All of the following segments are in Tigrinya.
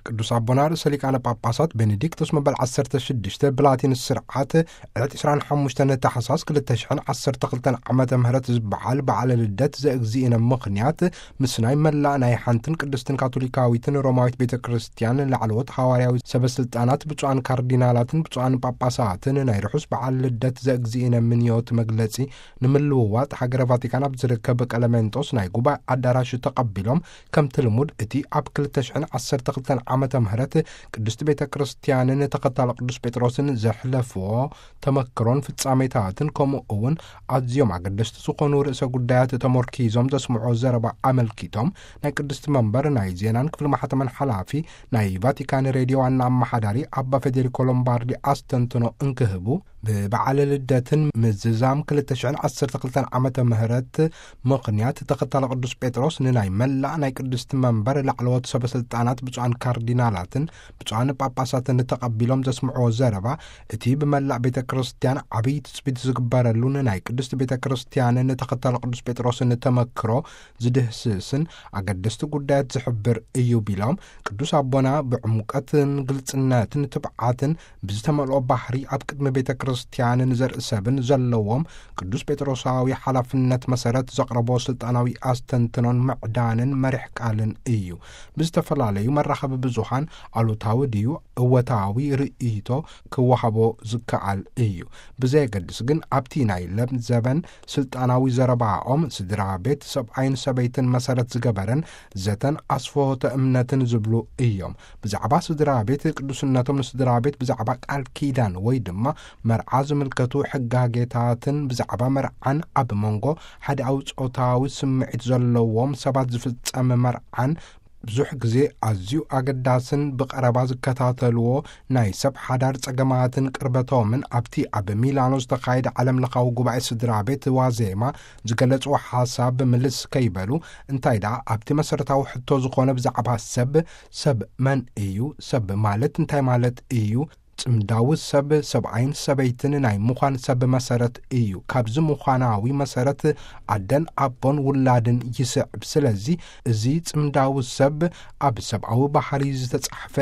ቅዱስ ኣቦና ርእሰ ሊቃነ ጳጳሳት ቤኔዲክቶስ መበል ዓሰርተ ሽዱሽተ ብላቲን ስርዓት ዕለት ዕስራን ሓሙሽተን ታሕሳስ ክልተ ሽሕን ዓሰርተ ክልተን ዓመተ ምህረት ዝበዓል በዓለ ልደት ዘእግዚእነ ምኽንያት ምስናይ መላእ ናይ ሓንትን ቅድስትን ካቶሊካዊትን ሮማዊት ቤተ ክርስቲያን ላዕለዎት ሃዋርያዊ ሰበስልጣናት ብፁዓን ካርዲናላትን ብፁዓን ጳጳሳትን ናይ ርሑስ በዓል ልደት ዘእግዚእነ ምንዮት መግለጺ ንምልውዋጥ ሃገረ ቫቲካን ኣብ ዝርከብ ቀለሜንጦስ ናይ ጉባኤ ኣዳራሽ ተቐቢሎም፣ ከምቲ ልሙድ እቲ ኣብ ክልተ ሽሕን ዓሰርተ ክልተን ዓመተ ምህረት ቅድስቲ ቤተ ክርስቲያንን ተኸታሊ ቅዱስ ጴጥሮስን ዘሕለፍዎ ተመክሮን ፍጻሜታትን፣ ከምኡ እውን ኣዝዮም ኣገደስቲ ዝኾኑ ርእሰ ጉዳያት ተመርኪዞም ዘስምዖ ዘረባ ኣመልኪቶም፣ ናይ ቅድስቲ መንበር ናይ ዜናን ክፍሊ ማሕተመን ሓላፊ ናይ ቫቲካን ሬድዮ ዋና ኣመሓዳሪ ኣባ ፌዴሪኮ ሎምባርዲ ኣስተንትኖ እንክህቡ፣ ብበዓለ ልደትን ምዝዛም ክልተ ሽሕን ዓሰርተ ክልተን ዓመተ ምህረት ምኽንያት ተኸታሊ ቅዱስ ጴጥሮስ ንናይ መላእ ናይ ቅድስቲ መንበር ላዕለዎት ሰበ ስልጣናት ብፁዓን ካርዲናላትን ብፁዓን ጳጳሳትን ተቐቢሎም ዘስምዕዎ ዘረባ፣ እቲ ብመላእ ቤተ ክርስቲያን ዓብዪ ትጽቢት ዝግበረሉ ንናይ ቅድስቲ ቤተ ክርስቲያንን ተኸታሊ ቅዱስ ጴጥሮስን ተመክሮ ዝድህስስን ኣገደስቲ ጉዳያት ዝሕብር እዩ ቢሎም፣ ቅዱስ ኣቦና ብዕምቀትን ግልጽነትን ትብዓትን ብዝተመልኦ ባህሪ ኣብ ቅድሚ ቤተ ክርስቲያንን ዘርኢ ሰብን ዘለዎም ቅዱስ ጴጥሮሳዊ ሓላፍነት መሰረት ዘቕረቦ ስልጣናዊ ኣስተንትኖን ምዕዳንን መሪሕ ቃልን እዩ። ብዝተፈላለዩ መራኸቢ ብዙሃን ኣሉታዊ ድዩ እወታዊ ርእይቶ ክወሃቦ ዝከኣል እዩ። ብዘየገድስ ግን ኣብቲ ናይ ለምዘበን ስልጣናዊ ዘረባኦም ስድራ ቤት ሰብኣይን ሰበይትን መሰረት ዝገበረን ዘተን ኣስፈሆተ እምነትን ዝብሉ እዮም። ብዛዕባ ስድራ ቤት ቅዱስነቶም ንስድራ ቤት ብዛዕባ ቃል ኪዳን ወይ ድማ መርዓ ዝምልከቱ ሕጋጌታትን ብዛዕባ መርዓን ኣብ መንጎ ሓደኣዊ ጾታዊ ስምዒት ዘለዎም ሰባት ዝፍጸም መርዓን ብዙሕ ግዜ ኣዝዩ ኣገዳስን ብቐረባ ዝከታተልዎ ናይ ሰብ ሓዳር ጸገማትን ቅርበቶምን ኣብቲ ኣብ ሚላኖ ዝተኻየደ ዓለም ለኻዊ ጉባኤ ስድራ ቤት ዋዜማ ዝገለጽዎ ሓሳብ ምልስ ከይበሉ፣ እንታይ ደኣ ኣብቲ መሰረታዊ ሕቶ ዝኾነ ብዛዕባ ሰብ፣ ሰብ መን እዩ? ሰብ ማለት እንታይ ማለት እዩ? ጽምዳዊ ሰብ፣ ሰብኣይን ሰበይትን ናይ ምዃን ሰብ መሰረት እዩ። ካብዚ ምዃናዊ መሰረት ኣደን ኣቦን ውላድን ይስዕብ። ስለዚ እዚ ጽምዳዊ ሰብ ኣብ ሰብኣዊ ባህሪ ዝተጻሕፈ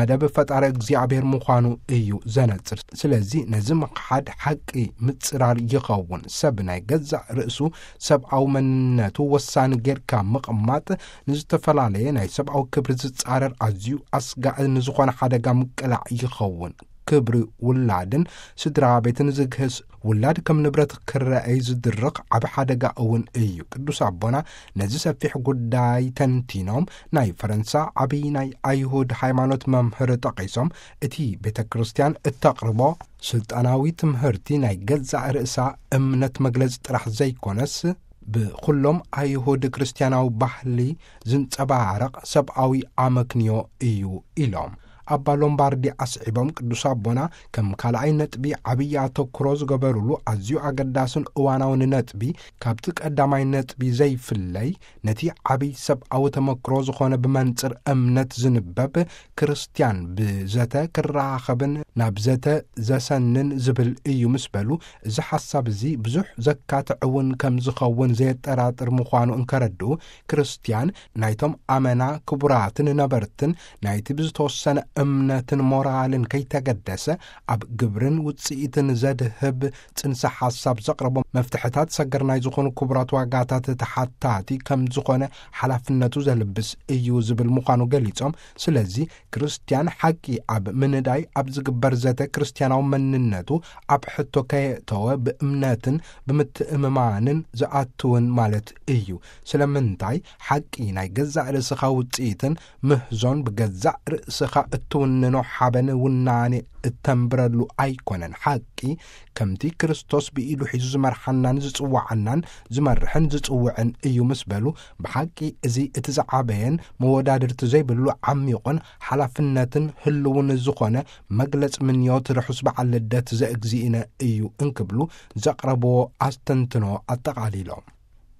መደብ ፈጣሪ እግዚኣብሔር ምዃኑ እዩ ዘነጽር። ስለዚ ነዚ ምኽሓድ ሓቂ ምጽራር ይኸውን። ሰብ ናይ ገዛእ ርእሱ ሰብኣዊ መንነቱ ወሳኒ ጌርካ ምቕማጥ ንዝተፈላለየ ናይ ሰብኣዊ ክብሪ ዝጻረር ኣዝዩ ኣስጋኢ ንዝኾነ ሓደጋ ምቅላዕ ይኸውን። ክብሪ ውላድን ስድራ ቤትን ዝግህስ፣ ውላድ ከም ንብረት ክረኣይ ዝድርኽ ዓቢ ሓደጋ እውን እዩ። ቅዱስ ኣቦና ነዚ ሰፊሕ ጉዳይ ተንቲኖም፣ ናይ ፈረንሳ ዓቢ ናይ ኣይሁድ ሃይማኖት መምህር ጠቒሶም፣ እቲ ቤተ ክርስቲያን እተቕርቦ ስልጣናዊ ትምህርቲ ናይ ገዛእ ርእሳ እምነት መግለጺ ጥራሕ ዘይኮነስ፣ ብኹሎም ኣይሁድ ክርስትያናዊ ባህሊ ዝንጸባረቕ ሰብኣዊ ኣመክንዮ እዩ ኢሎም። ኣባ ሎምባርዲ ኣስዒቦም፣ ቅዱስ ኣቦና ከም ካልኣይ ነጥቢ ዓብዪ ኣተኩሮ ዝገበሩሉ ኣዝዩ ኣገዳስን እዋናውን ነጥቢ፣ ካብቲ ቀዳማይ ነጥቢ ዘይፍለይ፣ ነቲ ዓብዪ ሰብኣዊ ተመክሮ ዝኾነ ብመንጽር እምነት ዝንበብ ክርስትያን ብዘተ ክረኻኸብን ናብ ዘተ ዘሰንን ዝብል እዩ ምስ በሉ፣ እዚ ሓሳብ እዚ ብዙሕ ዘካትዕ እውን ከም ዝኸውን ዘየጠራጥር ምዃኑ እንከረድኡ፣ ክርስትያን ናይቶም ኣመና ክቡራትን ነበርትን ናይቲ ብዝተወሰነ እምነትን ሞራልን ከይተገደሰ ኣብ ግብርን ውጽኢትን ዘድህብ ጽንሰ ሓሳብ ዘቕረቦ መፍትሕታት ሰገር ናይ ዝኾኑ ክቡራት ዋጋታት ተሓታቲ ከም ዝኾነ ሓላፍነቱ ዘልብስ እዩ ዝብል ምዃኑ ገሊጾም፣ ስለዚ ክርስትያን ሓቂ ኣብ ምንዳይ ኣብ ዝግበር ዘተ ክርስትያናዊ መንነቱ ኣብ ሕቶ ከየእተወ ብእምነትን ብምትእምማንን ዝኣትውን ማለት እዩ። ስለምንታይ ሓቂ ናይ ገዛእ ርእስኻ ውጽኢትን ምህዞን ብገዛእ ርእስኻ እትውንኖ ሓበን ውናኔ እተንብረሉ ኣይኮነን። ሓቂ ከምቲ ክርስቶስ ብኢዱ ሒዙ ዝመርሓናን ዝጽውዓናን ዝመርሕን ዝጽውዕን እዩ ምስ በሉ፣ ብሓቂ እዚ እቲ ዝዓበየን መወዳድርቲ ዘይብሉ ዓሚቑን ሓላፍነትን ህልውን ዝኾነ መግለጽ ምንዮት ርሑስ በዓል ልደት ዘእግዚእነ እዩ እንክብሉ ዘቕረብዎ ኣስተንትኖ ኣጠቓሊሎም።